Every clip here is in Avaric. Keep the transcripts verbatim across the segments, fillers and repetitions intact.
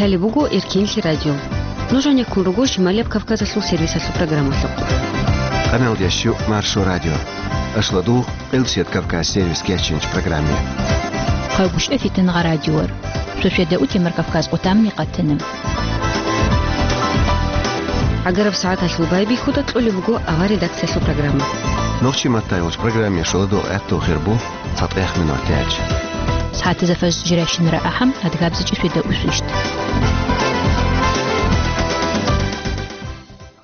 Лъалеб буго Эркенлъи радио. Нуж гӀенеккун руго Шималияб Кавказалъул сервисалъул программалъухъ. Къаналдиящу Маршо радио. Ашладу Къилсият Кавказ сервис кечинч программе. Хъавгушев Фитингъа радиор. Шошведа утемар Кавказ къутамни къатана. ГӀагараб сагӀаталъул байбихьуда кьолеб буго авар редакциялъул программа. Нохчи маттайолч программе шоладо гӀатту хирбу цатӀех минор тяч. СагӀатизафаз жиращинара ахӀам адгабзичӀи шведа усвищт.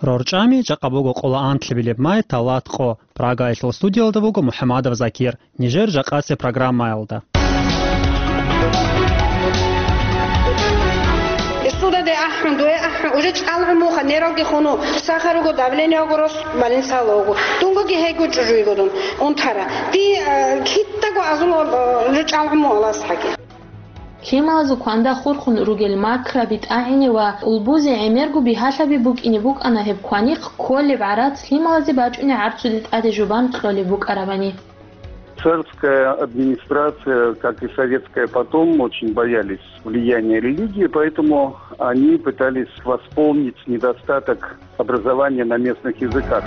РорчӀами жакъа буго къола антлъи билеб май талат къо. Прагаялъул студиялда вуго МухӀамадов Закир. Нижер жакъасеб программаялда. Судалде ахӀун, дуе ахӀун, уже чӀалгӀун муха, нералги хуну, сахар руго, давление руго, рос больницала руго. Дунгоги гьего чӀужуйго дун, унтара. Ди, э, китаго азула, э, уже чӀалгӀун муалас хӀаги. Лъималазул кванда хурхун ругел макраби тӀагӀине ва улбузе гӀемерго бигьалъаби букӀине букӀана гьеб кваникъ кколеб гӀарац лъималазе бачӀунеб гӀарцуде тӀаде жубан кьолеб букӀарабани. Царская администрация, как и советская потом, очень боялись влияния религии, поэтому они пытались восполнить недостаток образования на местных языках.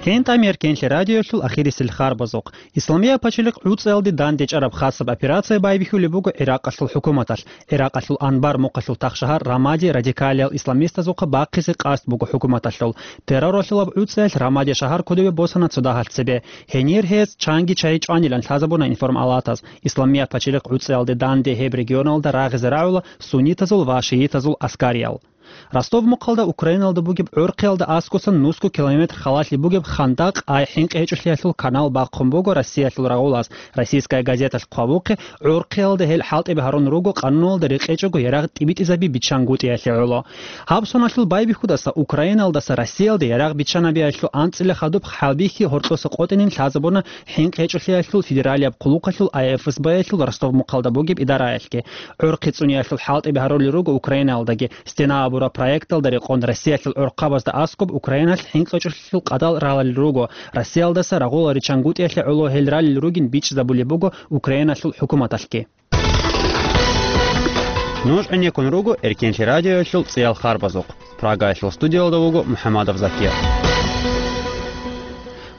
ХӀинтӀа Эркенлъи радиоялъул ахирисел харбазухъ. Исламияб пачалихъ гӀуцӀиялде дандечӀараб хасаб операция байбихьулеб буго ГӀиракъалъул хӀукуматалъ. ГӀиракъалъул Анбар мухъалъул тахшагьар Рамади радикалиял исламистазухъа бахъизе къасд буго хӀукуматалъул. Терроралъулаб гӀуцӀиялъ Рамади шагьар кодобе босана цо дагьалъ цебе. Гьенир гьез чанги чагьи чӀванилан лъазабуна информалатаз. Исламияб пачалихъ гӀуцӀиялде данде гьеб регионалда рагъизе рагӀула суннитазул ва шиитазул аскариял. Ростов мухъалда Украиналда бугеб гӀорхъиялда аскӀосан нусго километр халалъи бугеб хандакъ, ай хӀинкъи гьечӀолъиялъул канал бахъун буго Россиялъул рагъулас. «Российская газеталъ» хъвабухъе, гӀорхъиялда гьел хӀалтӀиби гьарун руго къануналда рекъечӀого ярагъ тӀибитӀизаби биччангутӀиялъе гӀоло. Гьаб соналъул байбихьудаса Украиналдаса Россиялде ярагъ биччанабиялъул анцӀила хадуб хӀалбихьи гьоркьоса къотӀинин лъазабуна хӀинкъи гьечӀолъиялъул федералияб хъулухъалъул, ай эф эс бэ-ялъул Ростов мухъалда бугеб идараялъги. ГӀорхъи цӀуниялъул хӀалтӀиби гьарулел руго Украиналдаги. «Стена» абураб проекталда рекъон Россиялъул гӀорхъабазда аскӀоб Украиналъ хӀинкъи гьечӀолъиялъул къадал ралел руго. Россиялдаса рагъула риччангутӀиялъе гӀоло гьел ралел ругин бичӀчӀизабулеб буго Украиналъул хӀукуматалъги. Нуж гӀенеккун руго Эркенлъи радиоялъул цӀиял харбазухъ. Прагаялъул студиялда вуго МухӀамадов Закир.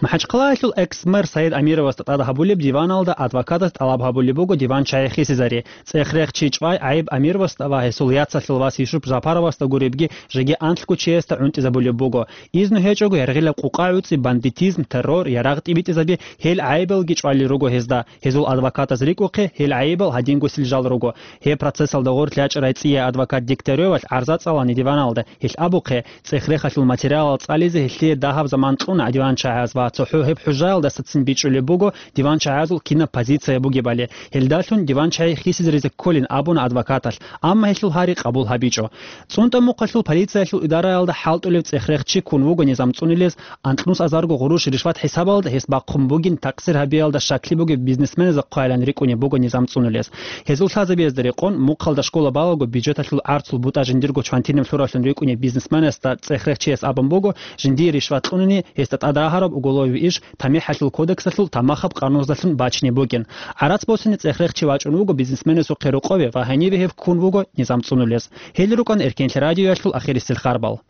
МахӀачхъалаялъул экс-мэр Саид Амировасда тӀад гьабулеб диваналда адвокатас тӀалаб гьабулеб буго диван чагӀи хисизари. ЦӀех-рехчи чӀвай гӀайиб Амировасда ва гьесул яцалъул вас Юсуп Жапаровасда гуребги жеги анлъго чиясда гӀунтӀизабулеб буго. Изну гьечӀого яргъилаб къукъа-гӀуцӀи, бандитизм, террор, ярагъ тӀибитӀизаби, гьел гӀайибалги чӀвалел руго гьезда. Гьезул адвокатаз рикӀухъе, гьел гӀайибал гьадингосил жал руго. Гьеб процессалда гъорлъ ячӀарай цӀияй адвокат Дегтяревалъ гӀарза цӀалани диваналда. Гьелъ абухъе, цӀех-рехалъул материалал цӀализе гьелъие дагьаб заман кьуна диван чагӀияз ва цохӀо гьеб хӀужаялдасацин бичӀчӀулеб буго диван чагӀиязул кинаб позиция бугебали. Гьелдалъун диван чагӀи хисизаризе кколин абуна адвокаталъ, амма гьелъул гьари къабул гьабичӀо. ЦӀунтӀа мухъалъул полициялъул идараялда хӀалтӀулев цӀех-рехчи ккун вуго низам цӀунулез, анкьнус азарго гъурущ ришват хӀисабалда гьес бахъун бугин такъсир гьабиялда щаклъи бугеб бизнесменазухъ хъвайилан рикӀкӀунеб буго низам цӀунулез. Гьезул лъазабиязда рекъон, мухъалда школа балаго бюджеталъул гӀарцул бутӀа жиндирго чвантинаб лъуравлъун рикӀкӀунеб бизнесменасда цӀех-рехчияс абун буго, жиндие ришват кьунани, гьесда тӀадагьараб уголовый иш ТамихӀалъул кодексалъул тамахаб къануназдалъун бачине бугин. ГӀарац босине цӀех-рехчи вачӀун вуго бизнесменасухъе рокъове ва гьениве гьев ккун вуго низам цӀунулез. Гьел рукӀана Эркенлъи радиоялъул ахирисел харбал.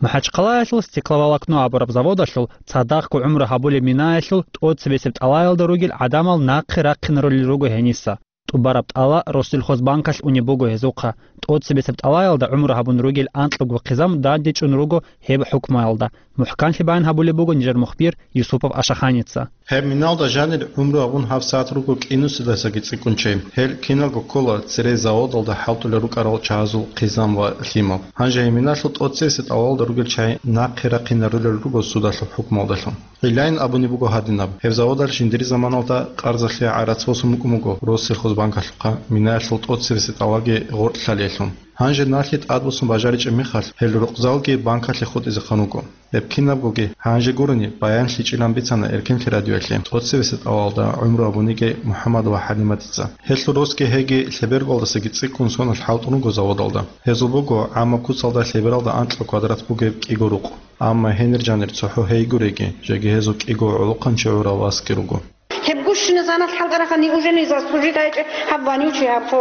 МахӀачхъалаялъул стекловолокно абураб заводалъул цадахъго гӀумру гьабулеб минаялъул тӀоцебесеб тӀалаялда ругел гӀадамал нахъе рахъинарулел руго гьениса. ТӀубараб тӀала Россельхозбанкалъ унеб буго гьезухъа. ТӀоцебесеб тӀалаялда гӀумру гьабун ругел анкьго хъизан дандечӀун руго гьеб хӀукмуялда. МухӀканлъи баян гьабулеб буго нижер мухбир Юсупов Ашаханица. Гьеб миналда жанир гӀумру гьабун гьабсагӀат руго кӀинусидасаги цӀикӀкӀун чи. Гьел киналго ккола церей заводалда хӀалтӀулел рукӀарал чагӀазул хъизан ва лъимал. Гьанже гьеб миналъул тӀоцебесеб тӀалаялда ругел чагӀи нахъе рахъинарулел руго судалъул хӀукмуялдалъун. Гьелайин абунеб буго гьадинаб: гьеб заводалъ жиндир заманалда къарзалъе гӀарац босун букӀун буго Россельхозбанкалъухъа, минаялъул тӀоцебесеб тӀалаги гъоркь лъалиялъун. Гьанже налъи тӀадбуссун бажаричӀеб мехалъ, гьел рукъзалги банкалъе хутӀизехъан руго. Гьеб кинабгоги гьанже гурони баянлъичӀилан бицана Эркенлъи радиоялъе ТӀоцебесеб тӀалалда гӀумру гьабун йигей МухӀаммад ва ХӀалиматица. Гьелъул росги гьеги лъеберголдасаги цӀикӀкӀун соналъ хӀалтӀун руго заводалда. Гьезул буго гӀаммаб куцалда лъебералда анкьа квадрат бугеб кӀиго рукъ. Амма гьенир жанир цохӀо гьей гуреги, жеги гьезул кӀиго гӀолохъанчи гӀурав васги руго. Гьеб гущина заналъ хӀалтӀарахъани уже не заслужит гьайчӀеб гьаб вонючий гьаб цо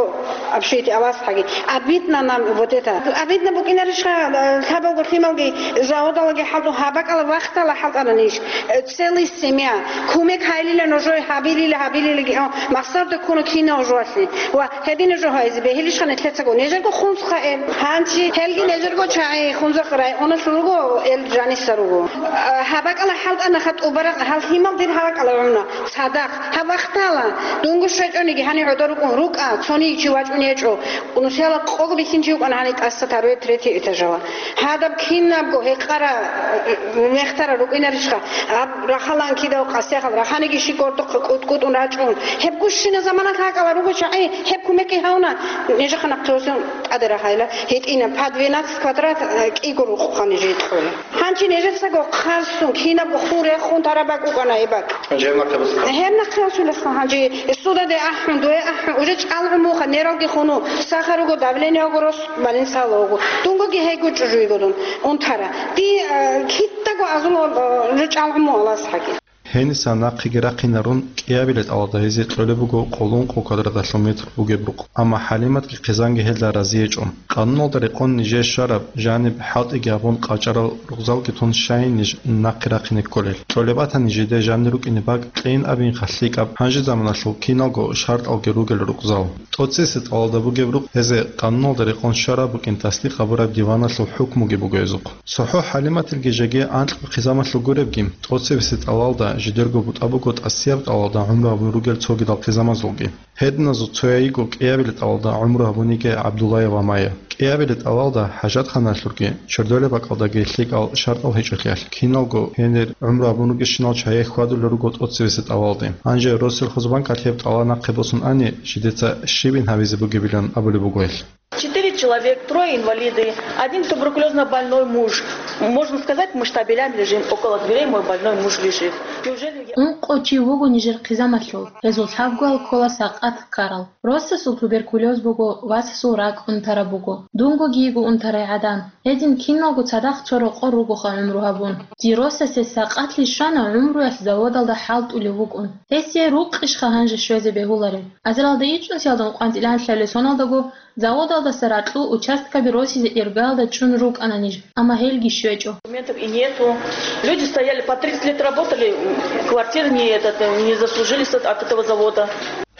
общеги авасхӀаги. Обидно нам вот это. Обидно букӀинарищха, э, лъабалго лъималги заводалаги хӀалтӀун гьаб бакӀала вахтала хӀалтӀананищ? Э, целый семья. Кумек гьайилила нужее гьабилила, гьабилилаги, о, махсарда ккуна кинав жоалъе. Ва гьедина жо гьайзе бегьилищха нилъецаго? Нижерго хунзха эл. Гьанчи гьелги нижерго чагӀи Хунзахъ районалъул руго, эл жаниса руго. А, гьаб бакӀала хӀалтӀанаха тӀубарахъ гьал лъимал дир гьаб бакӀала гӀуна. Цадахъ, гьаб вахтала, дунго щвечӀониги гьанив гӀодор рукӀун, рукӀа, цониги чи вачӀун гьечӀо. Нусиялда къого бихьинчи вукӀана гьанив тӀаса второй, третий этажала. Гьадаб кинабго гьекъара, э, мехтара рукӀинарищха, гьаб рахалан кидав къасихъал, раханиги щи гордухъ кӀутӀ-кӀутӀун рачӀун. Гьеб гущина заманалъ гьакӀала руго чагӀи, гьеб кумекги гьавна, нижеха нахъе гьосун тӀаде рахайла, гьитӀина, по двенадцать квадрат, э, кӀиго рукъха нижее кьола. Гьанчи нижецаго хъарсун, кинабго хун рехун тараб бакӀ букӀана гьеб бакӀ. Гьеб нахъе босха. Гьеб нахъе босулеха гьанчи, судалде ахӀун, дуе ахӀун, уже чӀалгӀун муха, нералги хуну, сахар руго, давлениего рос, больницаялда вуго. Дунгоги гьейго чӀужуйго дун унтара. Ди, э, кидаго азул, э, уже чӀалгӀун мугьалас хӀаги. Гьениса нахъеги рахъинарун, кӀиабилеб тӀалалда гьезие кьолеб буго къоло ункъо квадраталъул метр бугеб рукъ. Амма ХӀалиматги хъизанги гьелда разиечӀо. Къануналда рекъон нижее щвараб жаниб хӀалтӀиги гьабун къачӀарал рукъзалги тун щайин ниж нахъе рахъине кколел? Кьолеб батани жидее жанир рукӀине бакӀ, кьейин абинха лъикӀаб, гьанже заманалъул киналго шартӀалги ругел рукъзал. ТӀоцебесеб тӀалалда бугеб рукъ гьезие къануналда рекъон щвараб букӀин таслихъ гьабураб диваналъул хӀукмуги буго гьезухъ. ЦохӀо ХӀалиматилги жеги анкьго хъизамалъул гуребги, тӀоцебесеб тӀалалда жидерго бутӀа буго тӀасияб тӀалалда гӀумру гьабун ругел цогидал хъизамазулги. Гьединазул цояйиго кӀиабилеб тӀалалда гӀумру гьабун йигей ГӀабдуллаева Майя. КӀиабилеб тӀалалда хӀажатханалъулги, чордолеб бакӀалдаги лъикӀал шартӀал гьечӀолъиялъ, киналго гьенир гӀумру гьабун ругещинал чагӀи хьвадулел руго тӀоцебесеб тӀалалде. Гьанже Россельхозбанкалъ гьеб тӀалал нахъе босун ани, жидеца щибин гьабизе бугебилан абулеб буго гьелъ. Четыре человек, трое инвалиды, один туберкулезно больной муж. Можно сказать, мы штабелями лежим, около дверей мой больной муж лежит. Неужели я... Ункъо чи вуго нижер хъизамалъул, гьезул лъабгоял ккола сакъат ккарал. Росасул туберкулез буго, васасул ракӀ унтараб буго. Дунгоги йиго унтарай гӀадан. Гьедин киналго цадахъ цо рокъор ругоха гӀумру гьабун. Дир росасе сакъатлъи щвана гӀумруялъ заводалда хӀалтӀулев вукӀун. Гьесие рукъищха гьанже щвезе бегьулареб? Азаралда ичӀнусиялда ункъван тӀиланлъабилеб соналдаго заводалдаса ракьул участкаби росизе иргаялда чӀун рукӀана ниж, амма гьелги щвечӀо. Документов и нету. Люди стояли, по тридцать лет работали, квартиры не, этот, не заслужили с эт-, от этого завода.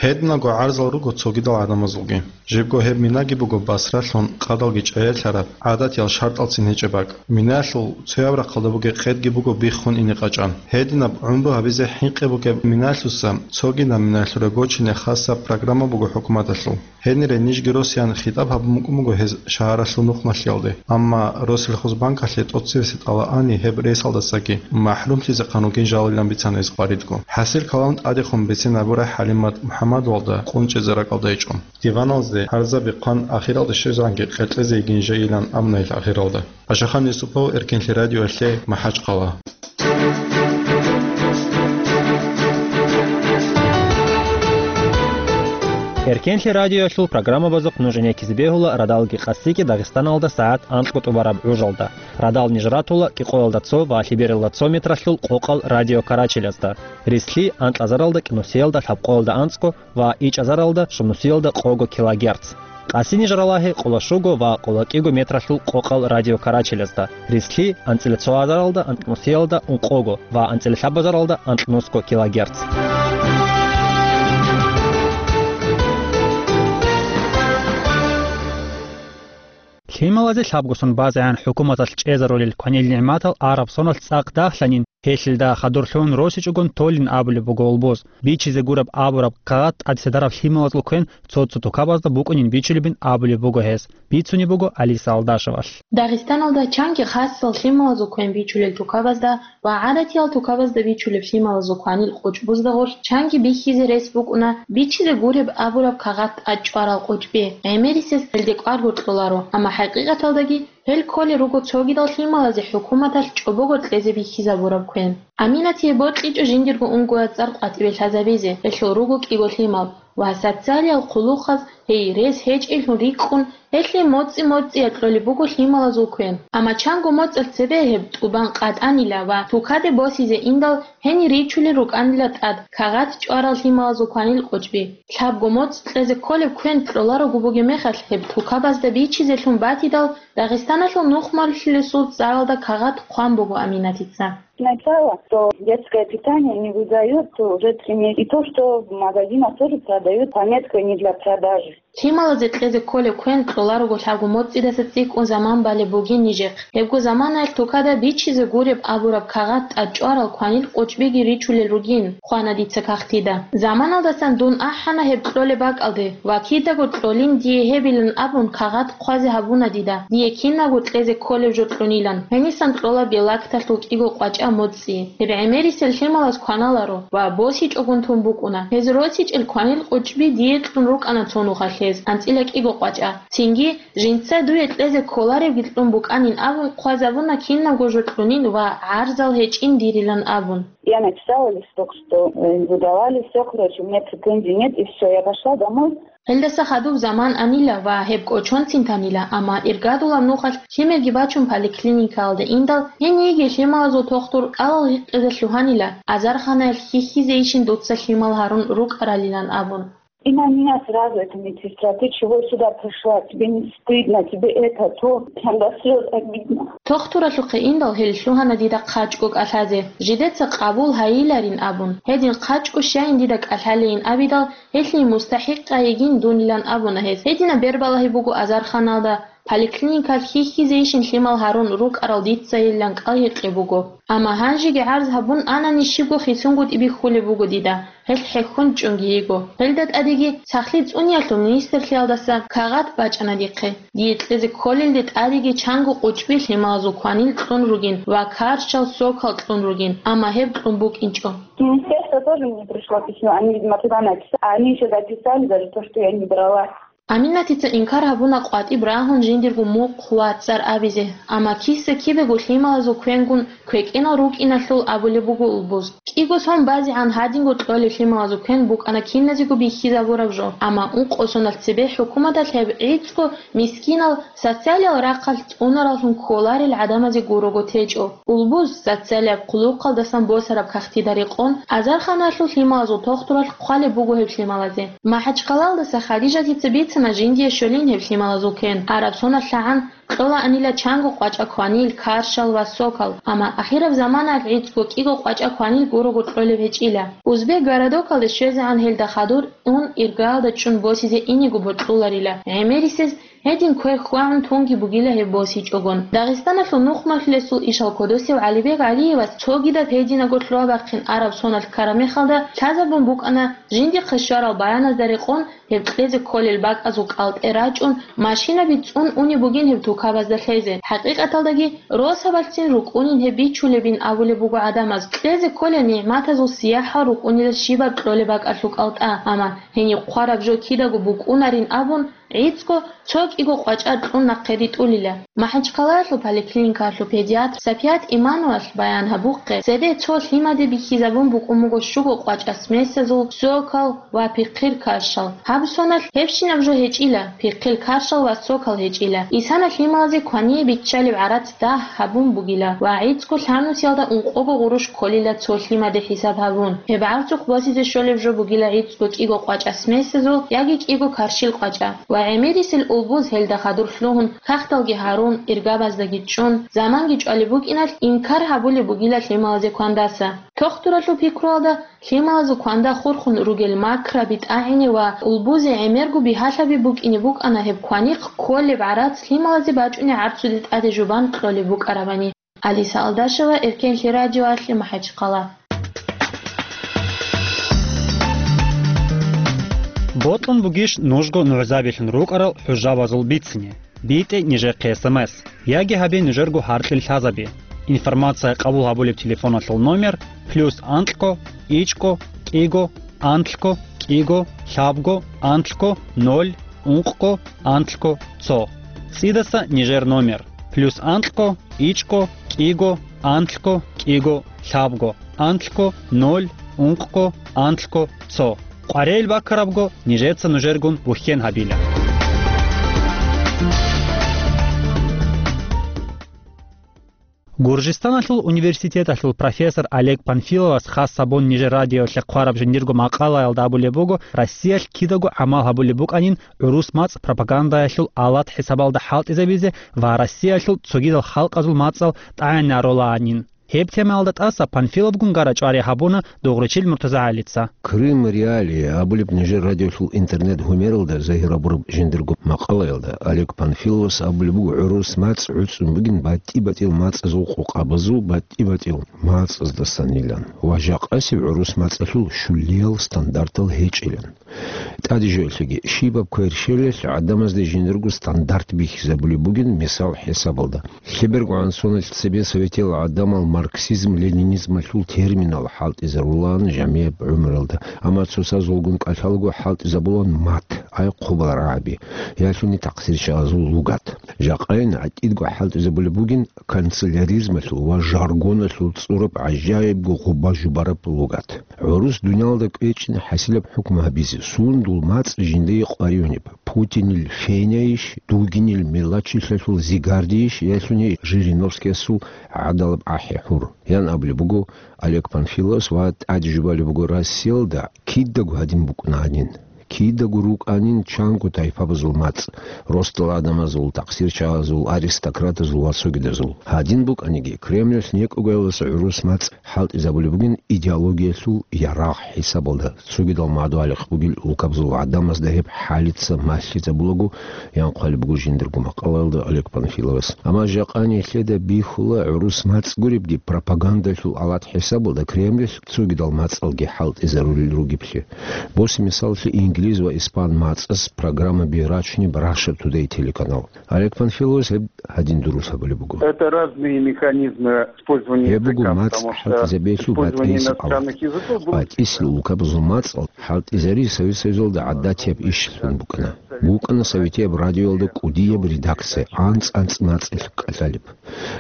Гьединго гӀарзал руго цогидал гӀадамазулги. Жибго гьеб минаги буго басралъун къадалги чӀаялъараб гӀадатиял шартӀалцин гьечӀеб бакӀ. Минаялъул цояб рахъалда бугеб къедги буго биххун ине къачӀан. Гьединаб гӀумру гьабизе хӀинкъи бугеб минаялъуса цогидаб минаялъуре гочине хасаб программа буго хӀукуматалъул. Гьенире нижги росиян хитӀаб гьабун букӀун буго гьез шагьаралъул нухмалъиялде. Амма Россельхозбанкалъе тӀоцебесеб тӀалал ани гьеб рейсалдасаги махӀрумлъизехъан ругин жалилан бицана гьез къваридго. ХӀасил калам тӀадехун бицин гьабурай ХӀалимат МухӀаммадовалда къунчӀизе ракӀалда гьечӀо. Диваналде гӀарзаби хъван ахиралде щвезегӀанги къеркьезе йигин жайилан абуна гьел ахиралда. Пашахан Юсупов, Эркенлъи радиоялъе, МахӀачхъала. Эркенлъи радиоялъул программабазухъ нуж гӀенеккизе бегьула радалги къаси-кӀи Дагъистаналда сагӀат анкьго тӀубараб гӀужалда. Радал ниж ратула кӀикъоялда цо ва лъебералда цо метралъул къокъал радиокарачелазда. Рислъи анкьазаралда кӀинусиялда лъабкъоялда анцӀго ва ичӀазаралда щунусиялда къого килогерц. Къаси ниж ралагье къоло щуго ва къоло кӀиго метралъул къокъал радиокарачелазда, рислъи анцӀила цо азаралда анкьнусиялда ункъого ва анцӀила лъабазаралда анкьнусго килогерц. Лъималазе лъабгосон базегӀан хӀукуматалъ чӀезарулел кванил нигӀматал араб соналъ цӀакъ дагьлъанин, Гьелъилда хадурлъун росичӀогун толин абулеб буго Улбуз. Бичизе гуреб абураб кагъат тӀадсадараб лъималазул квен цо-цо тукабазда букӀунин бичулебин абулеб буго гьес. Бицунеб буго Алиса Алдашевалъ. Дагъистаналда чанги хасал лъималазул квен бичулел тукабазда ва гӀадатиял тукабазда бичулеб лъималазул кванил къучӀбузда гъорлъ чанги бихьизе рес букӀуна бичизе гуреб абураб кагъат тӀад чӀварал къучӀби, гӀемерисез гьелде кӀвар гьоркьоларо, амма хӀакъикъаталдаги гьел кколел руго цогидал лъималазе хӀукуматалъ чӀобого кьезе бихьизабураб квен. Аминатие бокьичӀо жиндирго унгояцӀар къватӀибе лъазабизе, гьелъул руго кӀиго лъимал, ва социалиял хъулухъаз гьей рес гьечӀеблъун рикӀкӀун, гьелъие моцӀи-моцӀиялъ кьолеб буго лъималазул квен. Амма чанго моцӀалъ цебе гьеб тӀубан къатӀанила ва тукаде босизе индал гьенир ричулел рукӀанила тӀад кагъат чӀварал лъималазул кванил къучӀби. Лъабго моцӀ кьезе кколеб квен кьоларого бугеб мехалъ, гьеб тукабазда бичизелъун батидал, Дагъистаналъул нухмалъулесул цӀаралда кагъат хъван буго Аминатица. Сначала, что детское питание не выдают уже три месяца. И то, что в магазинах тоже продают, пометка не для продажи. Лъималазе кьезе кколеб квен кьоларого лъабго моцӀидаса цӀикӀкӀун заман балеб бугин нижехъ. Гьебго заманаялъ тукада бичизе гуреб абураб кагъат тӀад чӀварал кванил къучӀбиги ричулел ругин, хъвана дица кагътида. Заманалдасан дун ахӀана гьеб кьолеб бакӀалде ва кидаго кьолин дие гьебилан абун кагъат хъвазе гьабуна дида, дие кинабго кьезе кколеб жо кьунилан, гьенисан кьола белакталъул кӀиго къвачӀа моцӀи. Гьеб гӀемерисел лъималаз кваналаро ва босичӀогун тун букӀуна. Гьез росичӀел кванил къучӀби дие кьун рукӀана цо нухалъ гьез, анцӀила кӀиго къвачӀа. Цинги, жинца дуе кьезе кколаребги кьун букӀанин абун хъвазабуна кинабго жо кьунин ва гӀарзал гьечӀин дирилан абун. Я написала листок, что, э, выдавали всё, короче, у меня претензий нет, и всё. Я пошла домой. Гьелдаса хадуб заман анила ва гьеб кӀочонцин танила, амма иргадулаб нухалъ лъимерги бачун поликлиникаялда индал, гьениеги лъималазул тохтур кӀалал гьикъизе лъугьанила, азарханаялъ хьихьизейищин дуца лъимал гьарун рукӀаралилан абун. И на меня сразу эта медсестра: «Ты чего сюда пришла? Тебе не стыдно? Тебе это, то». Прям до слёз обидно. Тохтуралъухъе индал гьел лъугьана дида хъачӀго кӀалъазе, жидеца къабул гьайиларин абун. Гьедин хъачӀго щайин дида кӀалъалейин абидал, гьелъие мустахӀикъа йигин дунилан абуна гьес. Гьединаб бербалагьи буго азарханалда, поликлиникалъ хьихьизейищин лъимал гьарун рукӀарал дица гьелилан кӀал гьикъи буго. Амма гьанжеги гӀарз гьабун анани щибго хисунгутӀи бихьулеб буго дида, гьелъ хӀехьон чӀунги йиго. Гьелда тӀадеги сахлъи цӀуниялъул министрлъиялдаса кагъат бачӀана дихъе. Дие кьезе кколелде тӀадеги чанго къучӀби лъималазул кванил кьун ругин ва каршал, сокал кьун ругин, амма гьеб кьун букӀинчӀо. Министерство тоже мне пришло письмо, они, видимо, туда написали. Они ещё дописали даже то, что я не брала. Аминатица инкар гьабуна къватӀиб рагьун жиндирго мухъ ва цӀар абизе, амма киса-кибего лъималазул квенгун квекӀенал рукӀиналъул абулеб буго Улбуз. КӀиго сон базегӀан гьадинго кьолеб лъималазул квен букӀана киназего бихьизабураб жо, амма ункъо соналъ цебе хӀукуматалъ гьеб гӀицӀго мискинал социалиял рахъалъ цӀунараллъун кколарел гӀадамазе гурого течӀо. Улбуз, социалияб хъулухъалдасан босараб кагътида рекъон, азарханалъул лъималазул тохтуралъ хъвалеб буго гьеб лъималазе. МахӀачхъалалдаса Хадижатица бицана жиндие щолин гьеб лъималазул квен. Араб соналъ лъагӀан кьолаанила чанго къвачӀа кванил, каршал ва сокал, амма ахираб заманаялъ гӀицӀго кӀиго къвачӀа кванил гурого кьолеб гьечӀила. Узбек городокалде щвезегӀан гьелда хадур ун иргаялда чӀун босизе инего бокьуларила, гӀемерисез гьедин квер хьвагӀун тунги бугила гьеб босичӀогон. Дагъистаналъул нухмалъулесул ишал кодосев ГӀалибег ГӀалиевас цогидаб гьединаго лъугьа-бахъин араб соналъ ккараб мехалда лъазабун букӀана жиндихъе щварал баяназда рекъон гьеб кьезе кколел бакӀазул кӀалтӀе рачӀун, машинаби цӀун унеб бугин гьеб тукабазда лъезе. ХӀакъикъаталдаги, росабалъцин рукӀунин гьеб бичулебин абулеб буго гӀадамаз, кьезе кколел нигӀматазул сияхӀал рукӀунила щибаб кьолеб бакӀалъул кӀалтӀа, амма гьениб хъвараб жо кидаго букӀунарин абун, гӀицӀго цо кӀиго къвачӀа кьун нахъе ритӀулила. МахӀачхъалаялъул поликлиникаялъул педиатр Сапият Имановалъ баян гьабухъе, цебе цо лъимаде бихьизабун букӀун буго щуго къвачӀа смесазул сокал ва пихъил каршал. Гьаб соналъ гьебщинаб жо гьечӀила, пихъил каршал ва сокал гьечӀила. Исана лъималазе квание биччалеб гӀарац дагь гьабун бугила ва гӀицӀго лъабнусиялда ункъого гъурущ кколила цо лъимаде хӀисаб гьабун. Гьеб гӀарцухъ босизе щолеб жо бугила гӀицӀго кӀиго къвачӀа смесазул яги кӀиго каршил къвачӀа. Ва гӀемерисел Улбуз гьелда хадур лъугьун, кагъталги гьарун, иргабаздаги чӀун, заманги чӀвалеб букӀиналъ инкар гьабулеб бугила лъималазе квандаса. Тохтуралъул пикруялда, лъималазул кванда хурхун ругел макраби, тӀагӀини ва Улбузе гӀемерго бигьалъаби букӀине букӀана гьеб кванихъ кколеб гӀарац лъималазе бачӀунеб гӀарцуде тӀаде жубан кьолеб букӀарабани. Алиса Алдашева, Эркенлъи радиоялъе, МахӀачхъала. Бокьун бугищ нужго нугӀзабилъун рукӀарал хӀужабазул бицине? БитӀе нижехъе эс эм эс, яги гьабе нужерго гьаркьил лъазаби. Информация къабул гьабулеб телефоналъул номер: плюс анкьго, ичӀго, кӀиго, анлъго, кӀиго, лъабго, анлъго, ноль, ункъго, анлъго, цо. ЦӀидаса нижер номер: плюс анкьго, ичӀго, кӀиго, анлъго, кӀиго, лъабго, анлъго, ноль, ункъго, анлъго, цо. КъваригӀел баккарабго, нижеца нужергун вухьен гьабила. Гуржистаналъул университеталъул профессор Олег Панфиловас хас гьабун нижер радиоялъе хъвараб жиндирго макъалаялда абулеб буго, Россиялъ кидаго гӀамал гьабулеб букӀанин гӀурус мацӀ пропагандаялъул алат хӀисабалда хӀалтӀизабизе ва Россиялъул цогидал халкъазул мацӀал тӀагӀинарулаанин. Гьеб темаялда тӀаса Панфиловгун гара чӀвари гьабуна Дугъричил МуртазагӀалица. Крым Реалии абулеб нижер радиолъул интернет-гьумералда загьир гьабураб жиндирго макъалаялда Олег Панфиловас абулеб буго, гӀурус мацӀ гӀуцӀун бугин батӀи-батӀиял мацӀазул къокъабазул батӀи-батӀиял мацӀаздасанилан ва жакъасеб гӀурус мацӀалъул щулиял стандартал гьечӀилан. ТӀаде жоялъеги, щибаб кверщелалъ гӀадамазда жиндирго стандарт бихьизабулеб бугин мисал хӀисабалда. ЛъебергогӀан соналъ цебе советиял гӀадамал марксизм-ленинизмалъул терминал хӀалтӀизарулаан жамияб гӀумруялда, амма цоцазулгун кӀалъалаго хӀалтӀизабулаан мат, ай хъубал рагӀаби, ялъуни такъсирчагӀазул лугат. Жакъайин гӀатӀидго хӀалтӀизабулеб бугин канцеляризмалъул ва жаргоналъул цӀураб гӀажаибго гъуба-жубараб лугат. ГӀурус дуниялда кӀвечӀин хӀасилаб хӀукму гьабизе, сундул мацӀ жиндие къваригӀунеб, Путинил феняйищ, дугинил мелачилъалъул зигардийищ, ялъуни Жириновскиясул гӀадалаб ахӀи-хӀур, ян абулеб буго Олег Панфиловас ва тӀаде жубалеб буго Россиялда кидаго гьадин букӀунанин. Кидаго рукӀанин чанго тайпабазул мацӀ, росдал гӀадамазул, такъсирчагӀазул, аристократазул ва цогидазул. Гьадин букӀаниги, Кремльалъ некӀогоялдаса гӀурус мацӀ хӀалтӀизабулеб бугин идеологиялъул ярагъ хӀисабалда, цогидал мадугьалихъ бугел улкабазул гӀадамазда гьеб хӀалица малъизабулаго, ян хъвалеб буго жиндирго макъалаялда Олег Панфиловас. Амма жакъа нилъеда бихьула гӀурус мацӀ гуребги пропагандалъул алат хӀисабалда Кремльалъ цогидал мацӀалги хӀалтӀизарулел ругеблъи. Босе мисаллъи инглиз ва испан мацӀас программаби рачунеб Russia Today телеканал. Олег Панфиловас гьеб гьадин дурус гьабулеб буго. Это разные механизмы использования Гьеб буго языка, мацӀ потому что хӀалтӀизабиялъул использование батӀиясеб алат. Иностранных языков было БатӀисел улкабазул мацӀал хӀалтӀизари Совет Союзалда гӀадатияб ишлъун букӀана. БукӀана советияб радиоялда кӀудияб редакция, анцӀ-анцӀ мацӀалъ кӀалъалеб.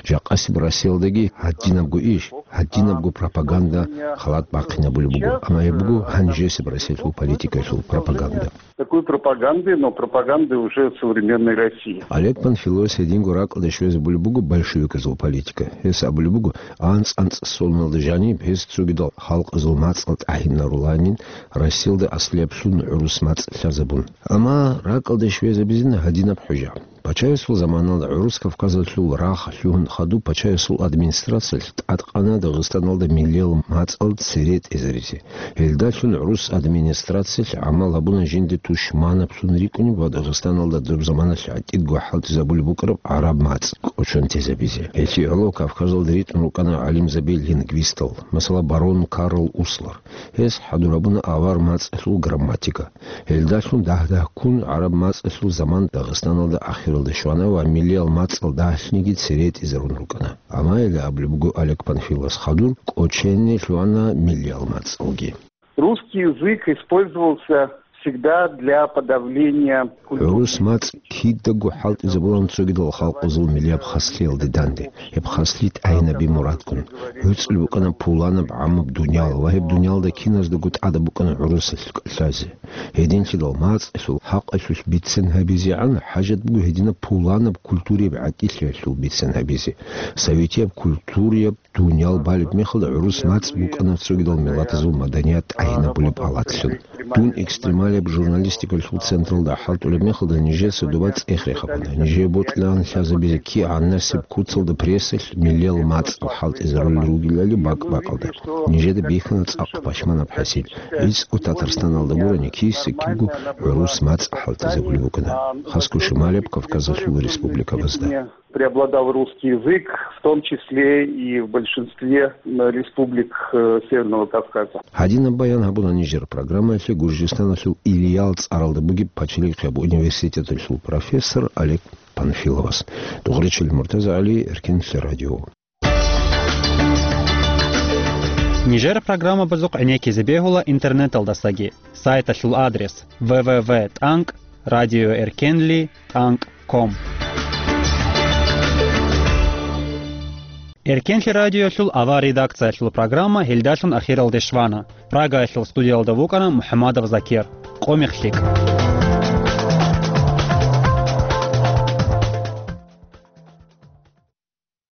Жакъасеб Россиялдаги гьадинабго иш, гьадинабго пропаганда халат бахъинабулеб буго, амма гьеб буго гьанжесеб Россиялъул политикаялъул пропаганда. Такой пропаганды, но пропаганды уже современной России. Олег Панфиловас гьединго ракӀалде щвезабулеб буго большевиказул политика. Гьес абулеб буго, анцӀ-анцӀ соналда жаниб гьес цогидал халкъазул мацӀал тӀагӀинаруланин, Россиялда аслияб лъун гӀурус мацӀ лъазабун. Амма ракӀалде щвезабизин гьадинаб хӀужа. Пачаясул заманалда гӀурус Кавказалъул рагъ лъугьун хадуб пачаясул администрациялъ тӀадкъана Дагъистаналда миллиял мацӀал цере тӀезаризе. Гьелдалъун гӀурус администрациялъ гӀамал гьабуна жинде тушманаблъун рикӀкӀунеб ва Дагъистаналда доб заманалъ гӀатӀидго хӀалтӀизабулеб букӀараб гӀараб мацӀ кӀочон тезабизе. Гьелъие гӀоло Кавказалда ритӀун рукӀана гӀалимзаби-лингвистал, масала, барон Карл Услар. Гьес хӀадур гьабуна авар мацӀалъул грамматика. Гьелдалъун дагь-дагьккун гӀараб мацӀалъул заман Дагъистаналда ахиралде щвана ва миллиял мацӀал дагьлъниги цере тӀезарун рукӀана. Амма гьеле абулеб буго Олег Панфиловас, хадур кӀочене лъугьана миллиял мацӀалги. Русский язык использовался всегда для подавления культурной гӀурус мацӀ кидаго хӀалтӀизабулан цогидал халкъазул миллияб хаслъиялде данде. Гьеб хаслъи тӀагӀинаби мурадгун. ГӀуцӀул букӀана пуланаб гӀамаб дуниял ва гьеб дуниялда киназдаго тӀадаб букӀана гӀурусалъ кӀалъазе. Гьединлъидал мацӀалъул хӀакъалъулъ бицен гьабизегӀан хӀажат буго гьединаб пуланаб культурияб гӀатӀилъиялъул бицен гьабизе. Советияб культурияб дуниял балеб мехалда гӀурус мацӀ букӀана цогидал миллатазул маданият тӀагӀинабулеб алатлъун. Дун экстремалияб журналистикалъул централда хӀалтӀулеб мехалда нижеца доба цӀех рехабуна. Нижее бокьилаан лъазабизе кигӀанасеб куцалда прессалъ миллиял мацӀал хӀалтӀизарулел ругелали бакӀ-бакӀалда. Нижеда бихьана цӀакъ пашманаб хӀасил. ГӀицӀго Татарстаналда гурони киса-кибго гӀурус мацӀ хӀалтӀизабулеб букӀана. Хасго шималияб Кавказалъул республикабазда. Преобладал русский язык, в том числе и в большинстве, м, республик, э, Северного Кавказа. Гьадинаб баян гьабуна нижер программаялъе Гуржистаналъул Ильял цӀаралда бугеб пачалихъияб университеталъул профессор Олег Панфиловас. Дугъричил Муртаза ГӀали, Эркенлъи радио. Нижер программабазухъ гӀенеккизе бегьула интернеталдасаги. Сайталъул адрес: в в в тӀанкӀ радиоэркенли тӀанкӀ ком. Эркенлъи радиолъул авар редакциялъул программа гьелдалъун ахиралде щвана. Прагаялъул студиялда вукӀана МухӀамадов Закир. Къо-мех лъикӀ.